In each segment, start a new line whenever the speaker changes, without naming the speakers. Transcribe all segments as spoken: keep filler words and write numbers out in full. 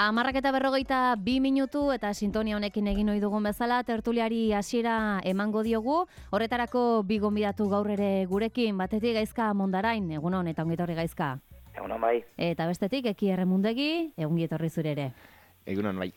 Hamarrak eta berrogeita bi minutu eta sintonia honekin egin ohi dugun bezala tertuliari hasiera emango diogu. Horretarako bi gonbidatu gaur ere gurekin, batetik Gaizka Mondarain, egunon eta ongi etorri Gaizka.
Egunon bai.
Eta bestetik Eki Erremundegi, ongi etorri zure ere.
Egunon bai.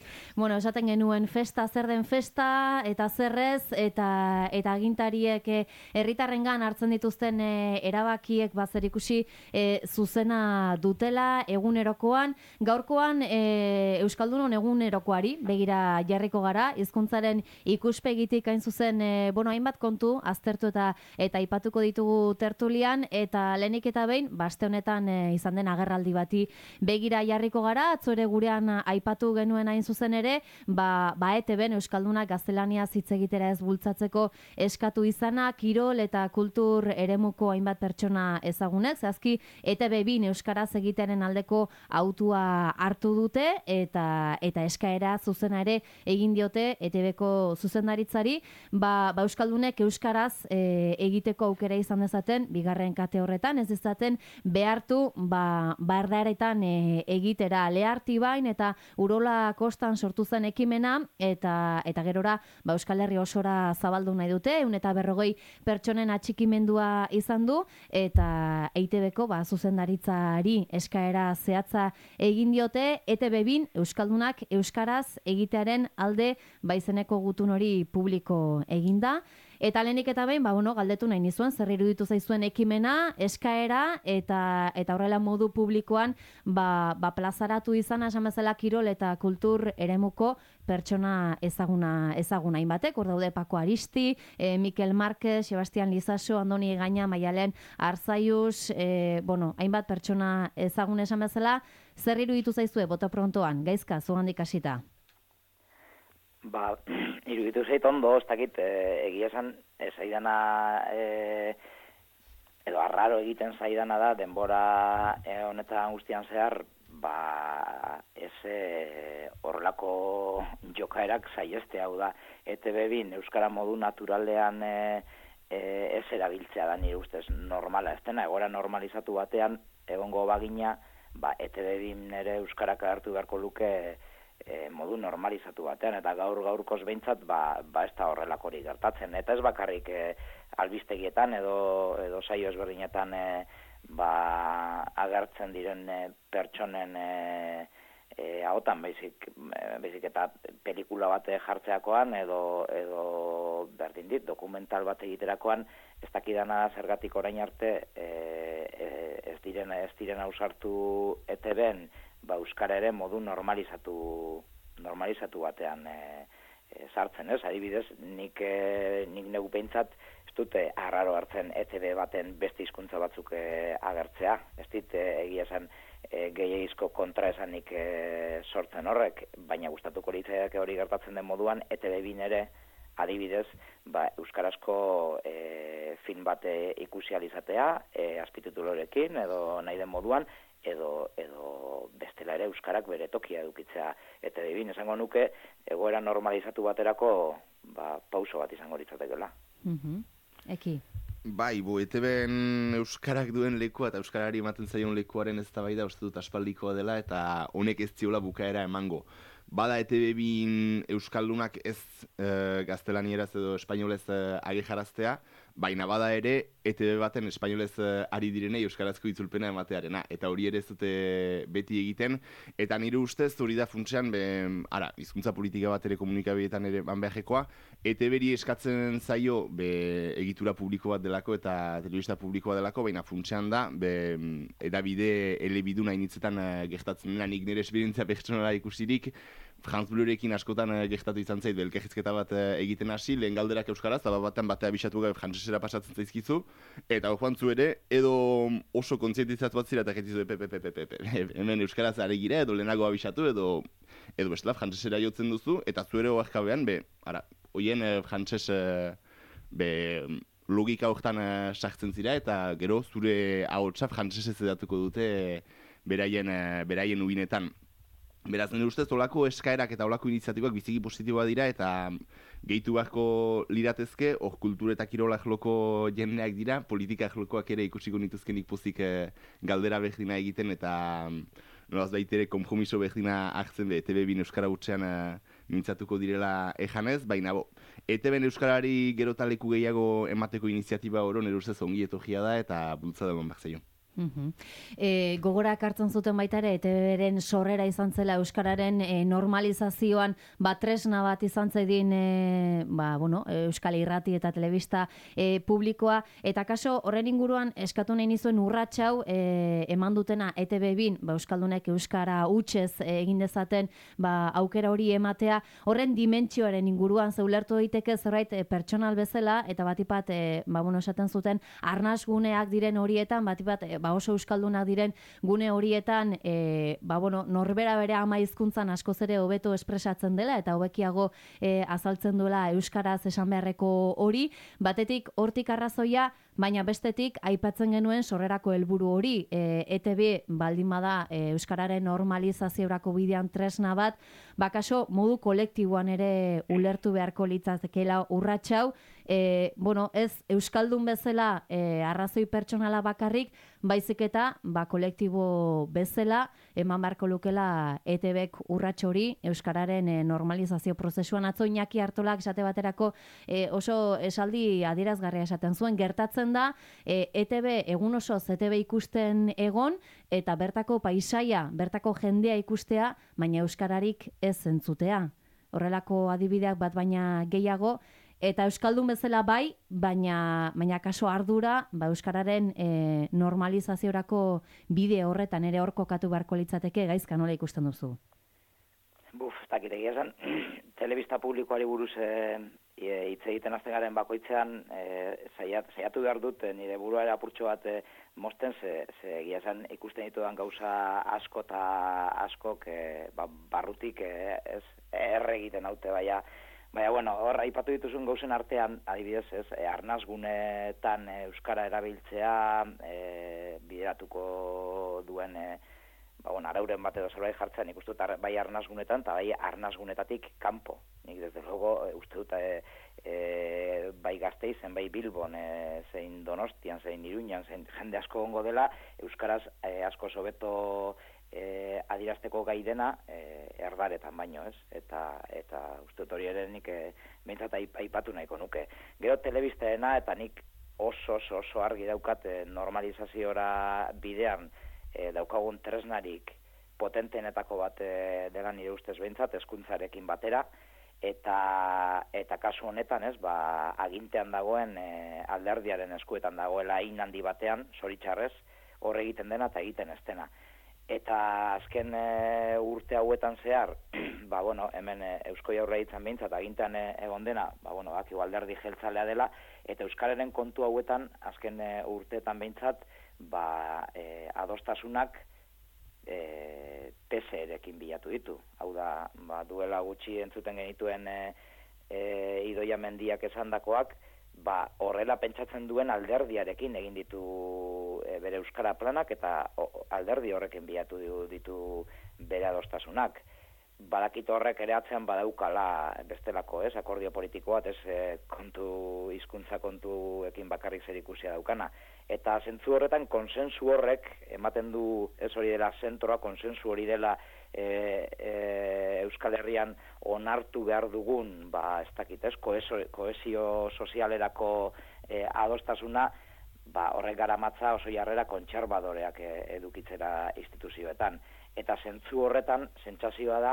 Bueno, esaten genuen festa zer den festa eta zerrez eta eta agintariek herritarrengan hartzen dituzten e, erabakiek bazer ikusi e, zuzena dutela egunerokoan. Gaurkoan e, Euskaldunon egunerokoari begira jarriko gara, hizkuntzaren ikuspegitik hain zuzen e, bueno, hainbat kontu aztertu eta eta aipatuko ditugu tertulian eta lehenik eta behin baste honetan e, izan den agerraldi bati begira jarriko gara, atzo ere gurean aipatu genuen hain zuzen ere, ba, ba E T Bn Euskaldunak gaztelaniaz hitz egitera ez bultzatzeko eskatu izana, kirol eta kultur eremuko hainbat pertsona ezagunek, zehazki E T B bin euskaraz egiteren aldeko autua hartu dute eta eta eskaera zuzena ere egin diote E T Bko zuzendaritzari, ba, ba Euskaldunek euskaraz e, egiteko aukera izan dezaten, bigarren kate horretan, ez dezaten behartu ba, bardaretan e, egitera leharti bain eta urola kostan sortu zen ekimena eta eta gerora ba Euskal Herri osora zabaldu nahi dute, ehun eta berrogei pertsonen atxikimendua izan du eta E T Bko ba zuzendaritzari eskaera zehatza egin diote E T B bin Euskaldunak euskaraz egitearen alde baizeneko gutun hori publiko eginda. Eta lehenik eta behin, ba, bueno, galdetu nahi nizuen, zer iruditu zaizuen ekimena, eskaera, eta eta horrela modu publikoan, ba, ba plazaratu izan, esan bezala kirol eta kultur eremuko pertsona ezaguna, ezaguna hainbatek, hor daude Pako Aristi, e, Mikel Marquez, Sebastian Lizaso, Andoni Gaina, Maialen Arzaius, e, bueno, hainbat pertsona ezagun esan bezala, zer iruditu zaizue, bota prontoan, Gaizka, zugandik hasita?
Ba, iruditu zait ondo, ez dakit, e, egia esan, e, zaidana, e, edo arraro egiten zaidana da, denbora e, honetan guztian zehar, ba, ez e, horrelako jokaerak saieste, hau da, E T B bin euskara modu naturalean e, e, ez erabiltzea da nire ustez normala, ez dena, egora normalizatu batean, egongo bagina, ba, E T B bin ere euskarak hartu beharko luke, E, modu normalizatu batean, eta gaur gaurkoz behintzat ba, ba ez da horrelakori gertatzen. Eta ez bakarrik e, albistegietan edo, edo saio ezberdinetan e, ba, agertzen diren e, pertsonen e, e, ahotan, baizik, e, baizik eta pelikula bat jartzeakoan edo, edo berdin dit, dokumental bat egiterakoan, ez dakidana zergatik orain arte e, e, ez diren, ez diren ausartu E T Bn ba euskara ere modu normalizatu normalizatu batean e, e, sartzen, ez? Adibidez, nik e, nik negu behintzat ez dute arraro hartzen E T B baten beste hizkuntza batzuk e, agertzea. Ez dit e, egia esan e, gehiagizko kontraesanik e, sortzen horrek, baina gustatuko litzaiake hori gertatzen den moduan E T B bin ere adibidez, ba, euskarazko e, film bat ikusi alizatea, e, azpititulorekin edo nahi den moduan, edo edo bestela ere euskarak bere tokia edukitzea E T B bin, esango nuke egoera normalizatu baterako ba, pauso bat izango litzatekeela.
Mhm. Eki.
Bai, bo, E T Bn euskarak duen lekua eta euskarari ematen zaion lekuaren eztabaida uste dut aspaldikoa dela eta honek ez ziola bukaera emango. Bada E T B bin euskaldunak ez e, gaztelanieraz edo espainolez e, agejaraztea, baina bada ere E T B baten espainolez e, ari direnei euskarazko itzulpena ematearena, eta hori ere ez dute beti egiten, eta nire ustez hori da funtsean, be, ara, hizkuntza politika bat ere komunikabietan ere banbeajekoa, E T Bri eskatzen zaio be, egitura publiko bat delako eta telebista publikoa delako, baina funtsean da, be, edabide elebiduna initzetan e, gertatzen dena, nik nire esperientzia pertsonala ikusirik, Franz Bleurekin askotan e, gertatu izan zait, belkejizketa bat e, egiten hasi, lehen galderak euskaraz, eta batean batea bisatu gabe frantzesera pasatzen zaizkizu, eta joan zu ere, edo oso kontzientizatu bat zira, eta getizu, epe, epe, epe, epe, hemen euskaraz are gira, edo lehenago abisatu, edo, edo bestela, frantzesera jotzen duzu, eta zu ere oarkabean, be, ara, hoien e, frantses, e, be, logika horretan e, sartzen zira, eta gero zure ahotsa frantsesez edatuko dute e, beraien, e, beraien ubinetan. Beraz, nire ustez, olako eskaerak eta olako iniziatibak biziki positiboa dira eta gehitu beharko liratezke, hor kultur eta kirolak loko jendeak dira, politikak lokoak ere ikusiko nituzkenik pozik e, galdera berdina egiten eta nolaz baitere konpromiso berdina hartzen be, E T B bin euskara utxean uh, mintzatuko direla ejanez, baina bo, E T Bn euskarari gero leku gehiago emateko iniziatiba oro nire ustez ongi etorria da eta bultzada eman behar zaio.
Uh-huh. E, gogorak hartzen zuten baita ere, E T Bren sorrera izan zela euskararen e, normalizazioan ba, tresna bat izan zedin e, ba, bueno, euskal irrati eta telebista e, publikoa, eta kaso horren inguruan eskatu nahi nizuen urratxau e, eman dutena E T B bin, ba, euskaldunek euskara hutsez e, egin dezaten ba, aukera hori ematea, horren dimentsioaren inguruan zeulertu daiteke zerbait e, pertsonal bezala, eta batipat e, ba, bueno, esaten zuten arnasguneak diren horietan, batipat e, ba oso euskaldunak diren gune horietan e, ba bueno, norbera bere ama hizkuntzan askoz ere hobeto espresatzen dela eta hobekiago e, azaltzen duela euskaraz esan beharreko hori, batetik hortik arrazoia, baina bestetik aipatzen genuen sorrerako helburu hori, e, E T B baldin bada e, euskararen normalizaziorako bidean tresna bat, bakaso modu kolektiboan ere ulertu beharko litzatekeela urratxau, e, bueno, ez euskaldun bezala e, arrazoi pertsonala bakarrik, baizik eta ba, kolektibo bezala eman beharko lukela E T Bek urrats hori euskararen e, normalizazio prozesuan. Atzo Iñaki Artolak esate baterako e, oso esaldi adierazgarria esaten zuen, gertatzen da e, E T B egun osoz E T B ikusten egon eta bertako paisaia, bertako jendea ikustea, baina euskararik ez entzutea. Horrelako adibideak bat baina gehiago, eta euskaldun bezala bai, baina baina kaso ardura, ba euskararen e, normalizaziorako bide horretan ere hor kokatu beharko litzateke, Gaizka, nola ikusten duzu?
Buf, ez dakit egia esan, telebista publikoari buruz hitz e, egiten hasten garen bakoitzean e, saiat, saiatu behar dut e, nire buruare apurtxo bat e, mosten, ze, ze egia esan ikusten ditudan gauza asko eta askok e, ba, barrutik e, ez erre egiten haute, baina Baina, bueno, hor, aipatu dituzun gauzen artean, adibidez, ez, e, arnazgunetan e, euskara erabiltzea e, bideratuko duen, e, ba, bueno, arauren bat edo zerbait jartzen, nik uste dut bai arnazgunetan, eta bai arnazgunetatik kanpo. Nik, desde luego, e, uste dut, e, e, bai Gasteizen, bai Bilbon, e, zein Donostian, zein Iruñan, zein jende asko gongo dela, euskaraz e, asko sobeto E, adirazteko gai dena e, erdaretan baino, ez? Eta eta uste dut hori ere nik e, behintzat aipatu nahiko nuke. Gero telebistaena eta nik oso oso oso argi daukat e, normalizaziora bidean e, daukagun tresnarik potentenetako bat e, dela nire ustez behintzat, hezkuntzarekin batera, eta eta kasu honetan, ez, ba, agintean dagoen e, alderdiaren eskuetan dagoela hain handi batean, zoritxarrez, hor egiten dena eta egiten ez dena. Eta azken e, urte hauetan zehar, ba, bueno, hemen e, Eusko Jaurlaritzan behintzat agintean e, egon dena, ba, bueno, baki alderdi jeltzalea dela, eta euskararen kontu hauetan azken e, urteetan behintzat, ba, e, adostasunak e, P S erekin bilatu ditu. Hau da, ba, duela gutxi entzuten genituen e, e, Idoia Mendiak esandakoak, ba, horrela pentsatzen duen alderdiarekin egin ditu e, bere euskara planak eta o, alderdi horrekin bilatu ditu, ditu bere adostasunak. Badakit horrek ere atzean badaukala bestelako, ez, akordio politiko bat, ez, e, kontu, hizkuntza kontuekin bakarrik zer ikusia daukana. Eta zentzu horretan konsensu horrek ematen du, ez hori dela zentroa, konsensu hori dela e, e, Euskal Herrian onartu behar dugun, ba, ez dakit, ez, kohesio, kohesio sozialerako e, adostasuna, ba, horrek garamatza oso jarrera kontserbadoreak e, edukitzera instituzioetan. Eta zentzu horretan, sentsazioa da,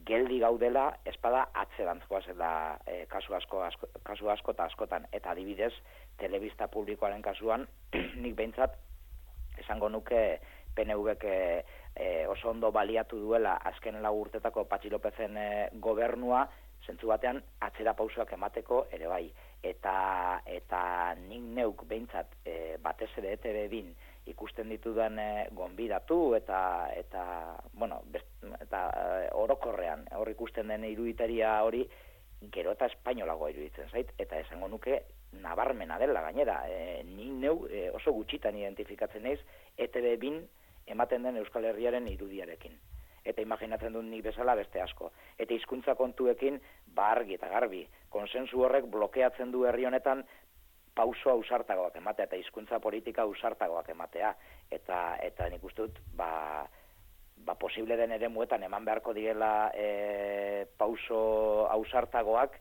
geldi gaudela, espada atzerantzkoa zela e, kasu asko, asko, kasu asko eta askotan. Eta adibidez, telebista publikoaren kasuan, nik behintzat, esango nuke P N Vek e, e, oso ondo baliatu duela azken lau urtetako Patxi Lopezen e, gobernua, zentzu batean atzera pausoak emateko ere bai. Eta, eta nik neuk behintzat e, batez ere E T B bin ikusten ditudan e, gonbidatu eta eta bueno, best, eta e, orokorrean hor ikusten den iruditeria hori gero eta espainolagoa iruditzen zait, eta esango nuke nabarmena dela gainera. E, ni neu e, oso gutxitan identifikatzen naiz E T B bin ematen den Euskal Herriaren irudiarekin. Eta imaginatzen dut nik bezala beste asko. Eta hizkuntza kontuekin argi eta garbi. Konsensu horrek blokeatzen du herri honetan pauso ausartagoak ematea eta hizkuntza politika ausartagoak ematea. Eta eta nik uste dut, ba, ba, posible den ere muetan eman beharko direla e, pauso ausartagoak,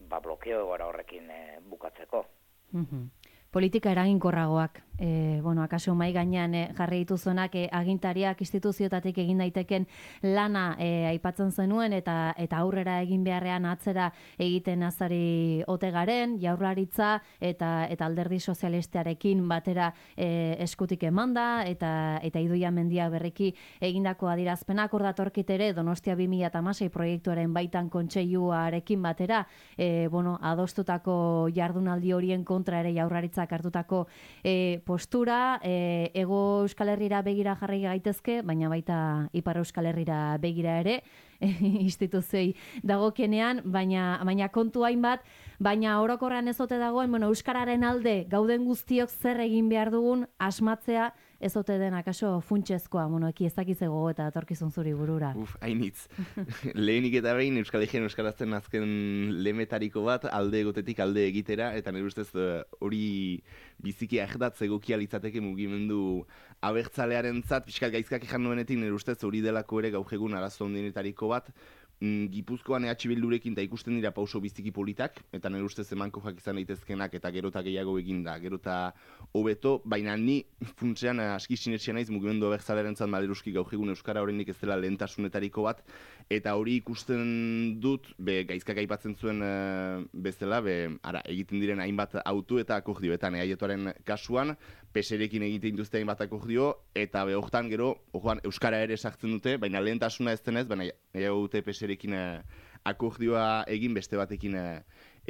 ba, blokeo egora horrekin e, bukatzeko.
Mm-hmm. Politika eraginkorragoak, e, bueno, akaso mai gainean e, jarri dituzuenak e, agintariak instituzioetatik egin daiteken lana e, aipatzen zenuen eta eta aurrera egin beharrean atzera egiten azari ote garen, Jaurlaritza eta eta Alderdi Sozialistarekin batera e, eskutik emanda eta eta Idoia Mendia berriki egindako adierazpenak hor datorkit ere Donostia bi mila hamasei proiektuaren baitan kontseiluarekin batera, e, bueno, adostutako jardunaldi horien kontra ere Jaurlaritza hartutako e, postura, e, Ego Euskal Herrira begira jarri gaitezke, baina baita Ipar Euskal Herrira begira ere, e, instituzioi dagokienean, baina, baina kontu hainbat, baina orokorrean ez ote dagoen, bueno, Euskararen alde gauden guztiok zer egin behar dugun asmatzea, ez ote den akaso funtsezkoa, bueno, eki ez dakiz ego eta atorkizun zuri burura.
Uf, hainitz. Lehenik eta behin Euskal Herrian euskarazten azken lemetariko bat, alde egotetik alde egitera, eta nire ustez hori biziki ahdatz egokia litzateke mugimendu abertzalearen zat, pixkat gaizkak ejan nuenetik nire ustez hori delako ere gaur egun arazo ondinetariko bat, Gipuzkoan E H Bildurekin eta ikusten dira pauso biziki politak, eta nire ustez emankojak izan daitezkenak eta gerota gehiago eginda, gerota hobeto, baina ni funtsean aski sinetxea naiz mugimendu abertzalearen zat maleruski gaur egun euskara horrenik ez dela lehentasunetariko bat, eta hori ikusten dut, be, gaizkak aipatzen zuen e, bezala, be, ara, egiten diren hainbat autu eta akordioetan, eaietoaren kasuan, peserekin egiten duzte hainbat akordio, eta be, hortan gero, orduan, euskara ere sartzen dute, baina lehentasuna ez denez, baina gehiago dute peserekin eh, akordioa egin, beste batekin eh,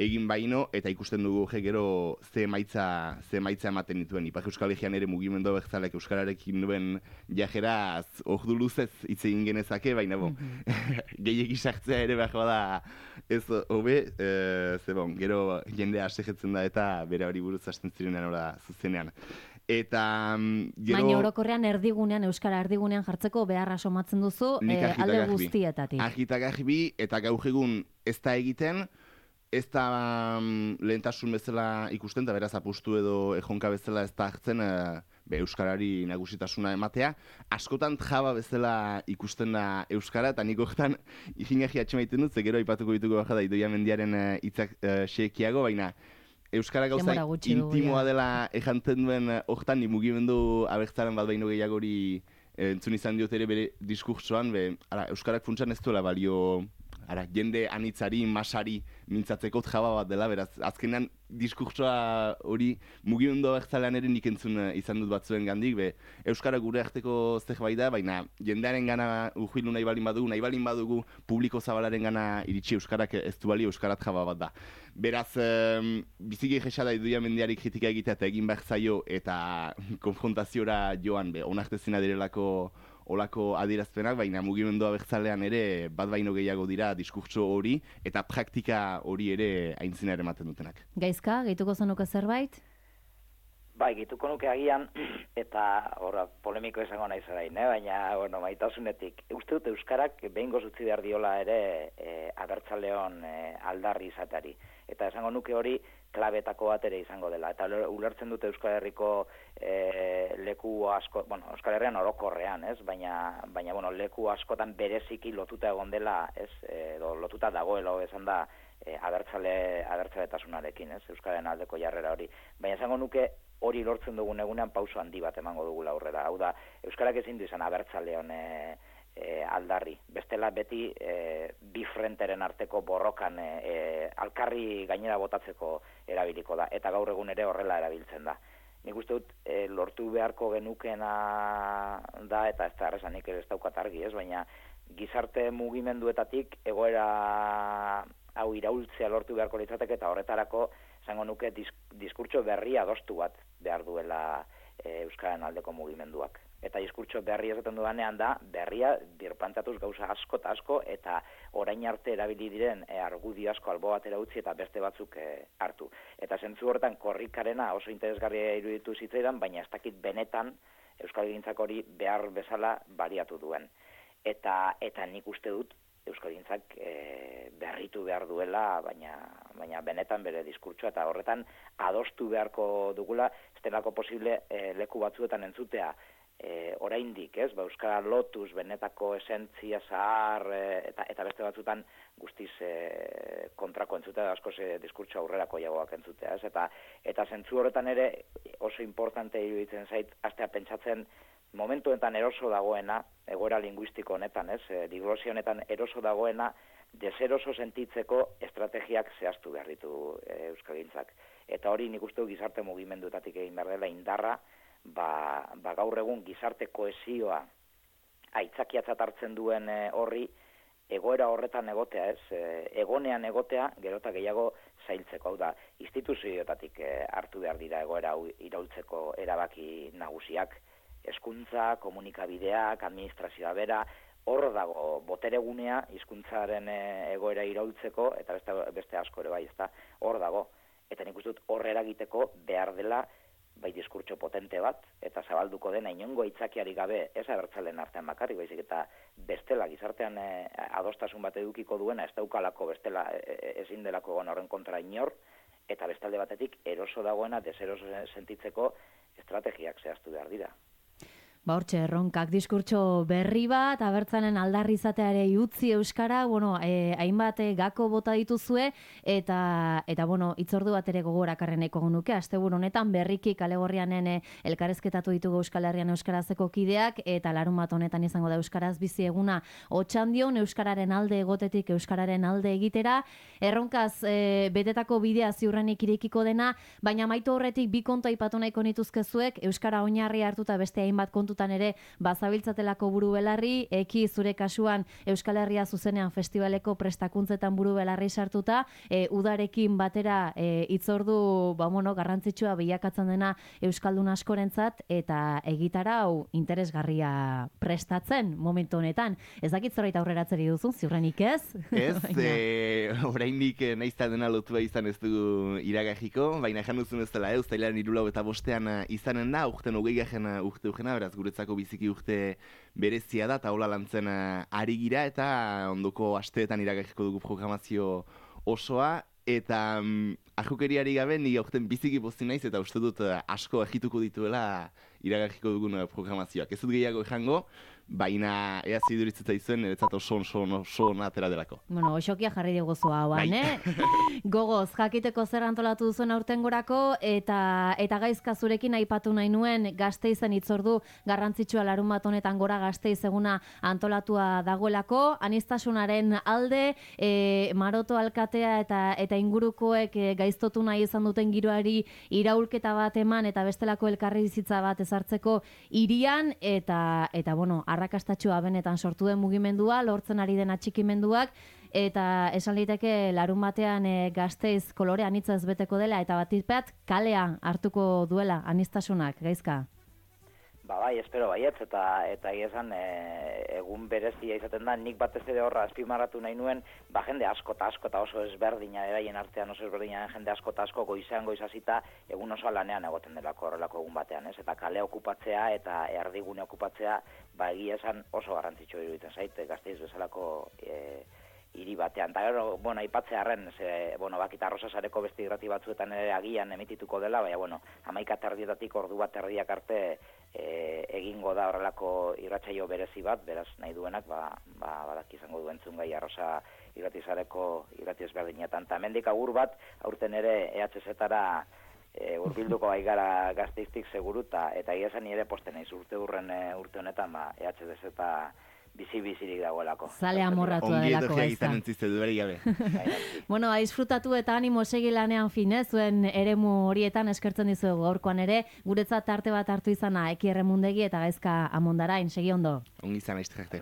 egin baino, eta ikusten dugu je, gero ze emaitza, ze emaitza ematen dituen. Ipar Euskal Herrian ere mugimendu abertzaleak euskararekin duen jajeraz ordu luzez hitz egin genezake, baina bon, mm-hmm. gehiegi sartzea ere behar bada ez hobe, e, ze bon, gero jendea asegetzen da eta bere hori buruz hasten zirenean ora zuzenean. Eta gero...
Baina orokorrean erdigunean, euskara erdigunean jartzeko beharra somatzen duzu e, alde guztietatik.
Argita garbi eta gaur egun ez da egiten, ez da um, lehentasun bezala ikusten, eta beraz apustu edo ejonka bezala ez da hartzen e, be, euskarari nagusitasuna ematea. Askotan jaba bezala ikusten da euskara, eta nik horretan ikingarri atxemaiten dut, ze gero aipatuko dituko baja da Idoia Mendiaren hitzak e, e, xekiago, baina euskara gauza intimoa dela ejantzen duen hortan, ni mugimendu abertzaren bat baino gehiagori entzun izan diot ere bere diskurtsoan, be, ara, euskarak funtsan ez duela balio ara, jende anitzari, masari mintzatzeko jaba bat dela, beraz, azkenean diskurtsoa hori mugimendu abertzalean ere nik entzun izan dut batzuen gandik, be, euskara gure arteko zerbait da, baina jendearen gana ujuilu nahi balin badugu, nahi balin badugu publiko zabalaren gana iritsi euskarak ez du bali euskarat jaba bat da. Beraz, um, biziki jesada Idoia Mendiari kritika egitea eta egin behar zaio eta konfrontaziora joan, be, onartezina direlako olako adierazpenak, baina mugimendu abertzalean ere bat baino gehiago dira diskurtso hori eta praktika hori ere aintzina ere ematen dutenak.
Gaizka, gehituko zenuke zerbait?
Bai, gehituko nuke agian, eta horra, polemiko izango nahi zerain, eh? Baina, bueno, maitasunetik. Uste dut euskarak behin gozutzi behar diola ere e, abertzaleon e, aldarri izatari. Eta esango nuke hori klabetako bat ere izango dela. Eta ulertzen dute Euskal Herriko e, leku asko, bueno, Euskal Herrian orokorrean, ez? Baina, baina bueno, leku askotan bereziki lotuta egon dela, ez? E, lotuta dagoela, esan da, e, abertzale, abertzaletasunarekin, ez? Euskararen aldeko jarrera hori. Baina esango nuke hori lortzen dugun egunean pauso handi bat emango dugula aurrera. Hau da, euskarak ezin du izan abertzaleon e, E, aldarri. Bestela beti e, bi frenteren arteko borrokan e, e, alkarri gainera botatzeko erabiliko da, eta gaur egun ere horrela erabiltzen da. Nik uste dut e, lortu beharko genukena da, eta ez da errezanik ez daukat argi, ez, baina gizarte mugimenduetatik egoera hau iraultzea lortu beharko litzateke, eta horretarako esango nuke disk, diskurtso berria adostu bat behar duela e, Euskararen aldeko mugimenduak. Eta diskurtso berria esaten dudanean da, berria birpantatuz gauza asko eta asko, eta orain arte erabili diren e, argudio asko albo batera utzi eta beste batzuk e, hartu. Eta zentzu horretan korrikarena oso interesgarria iruditu zitzaidan, baina ez dakit benetan euskalgintzak hori behar bezala baliatu duen. Eta, eta nik uste dut euskalgintzak e, berritu behar duela, baina, baina benetan bere diskurtsoa, eta horretan adostu beharko dugula, ez delako posible e, leku batzuetan entzutea, e, oraindik, ez, ba, euskara lotuz benetako esentzia zahar e, eta, eta beste batzutan guztiz e, kontrako entzutea, askoz e, diskurtso aurrerako jagoak entzutea, ez, eta, eta zentzu horretan ere oso importante iruditzen zait, astea pentsatzen momentu honetan eroso dagoena, egoera linguistiko honetan, ez, e, diglosia honetan eroso dagoena, deseroso sentitzeko estrategiak zehaztu behar ditu e, euskalgintzak. Eta hori nik uste du gizarte mugimendutatik egin behar dela indarra, ba, ba gaur egun gizarte kohesioa aitzakiatzat hartzen duen e, horri, egoera horretan egotea, ez, e, egonean egotea, gero eta gehiago zailtzeko, hau da, instituzioetatik e, hartu behar dira egoera hau iraultzeko erabaki nagusiak, hezkuntza, komunikabideak, administrazioa bera, hor dago boteregunea hizkuntzaren e, egoera iraultzeko, eta beste, beste asko ere bai, ezta, hor dago. Eta nik uste dut hor eragiteko behar dela bai diskurtso potente bat, eta zabalduko dena inongo aitzakiari gabe, ez abertzalen artean bakarrik, baizik eta bestela gizartean e, adostasun bat edukiko duena, ez daukalako bestela e, ezin delako egon horren kontra inor, eta bestalde batetik eroso dagoena deseroso sentitzeko estrategiak zehaztu behar dira.
Ba hortxe, erronkak diskurtso berri bat, abertzalen aldarri izateare utzi euskara, bueno, eh, hainbat eh, gako bota dituzue, eta, eta bueno, itzordu bat ere gogorakarren eko nuke, asteburu honetan berriki kalegorrianen eh, elkarrezketatu ditugu Euskal Herrian euskarazeko kideak, eta larun bat honetan izango da euskaraz bizi eguna otxandion, euskararen alde egotetik euskararen alde egitera, erronkaz eh, betetako bidea ziurrenik irekiko dena, baina maitu horretik bi kontu aipatu nahiko nituzkezuek, euskara oinarri hartuta beste hainbat kontu ere bazabiltzatelako buru belarri, eki zure kasuan Euskal Herria zuzenean festivaleko prestakuntzetan buru belarri sartuta, e, udarekin batera e, itzordu ba, bueno, garrantzitsua bilakatzen dena Euskaldun askorentzat, eta egitarau interesgarria prestatzen momentu honetan. Ez dakit zorait aurreratzeri duzun, ziurrenik ez?
Ez, e, oraindik naizta dena lotua izan ez dugu iragajiko, baina jan duzun ez dela, uztailaren hirulau eta bostean izanen da, urten hogei gajen urte ugena, beraz guretzako biziki urte berezia da, eta hola lantzen ari gira, eta ondoko asteetan iragajiko dugu programazio osoa, eta um, ajukeriari gabe ni aurten biziki pozi naiz, eta uste dut asko egituko dituela iragajiko dugun programazioak. Ez dut gehiago ejango, baina ea ziduritzeta izuen, eretzat oso oso oso atera delako.
Bueno, osokia jarri diguzu hauan, eh? Gogoz, jakiteko zer antolatu duzuen aurtengorako, eta eta gaizka zurekin aipatu nahi nuen Gasteizen itzordu garrantzitsua larun bat honetan Gora Gasteiz eguna antolatua dagoelako, aniztasunaren alde, e, Maroto alkatea eta eta ingurukoek e, gaiztotu nahi izan duten giroari iraulketa bat eman, eta bestelako elkarrizitza bat ezartzeko hirian, eta, eta bueno, arrakastatxua benetan sortu den mugimendua, lortzen ari den atxikimenduak, eta esan liteke larun batean e, Gasteiz kolore anitza ez beteko dela, eta batipat kalea hartuko duela aniztasunak, gaizka?
Ba bai, espero baietz, eta eta esan e, egun berezia izaten da, nik batez ere horra azpimarratu nahi nuen, ba jende asko eta asko eta oso ezberdina eraien artean oso ezberdina jende asko eta asko goizean goizazita egun oso lanean egoten delako horrelako egun batean, ez? Eta kale okupatzea eta erdigune okupatzea, ba egia esan oso garrantzitsua iruditzen zait, Gasteiz bezalako e, hiri batean. Eta gero, bueno, aipatzearren, ze, bueno, bakita Arrosasareko beste irrati batzuetan ere agian emitituko dela, baina, bueno, hamaika terdietatik ordu bat erdiak arte e, egingo da horrelako irratsaio berezi bat, beraz nahi duenak, ba, ba, badak izango duen zungai Arrosa irratizareko irrati ezberdinetan. Eta hemendik agur bat, aurten ere E H Z-tara e, urbilduko baigara Gasteiztik seguru, eta eta egia ere posten naiz urte urren e, urte honetan, ba, E H Z bizi-bizirik dagoelako.
Zale amorratua delako gaizta.
Ongi edo dueri gabe.
Bueno, disfrutatu eta animo segi lanean fin, eh? Zuen eremu horietan eskertzen dizuegu gaurkoan ere, guretzat tarte bat hartu izana Eki Erremundegi eta Gaizka Amondarain, segi ondo.
Ongi izan aizte jarte.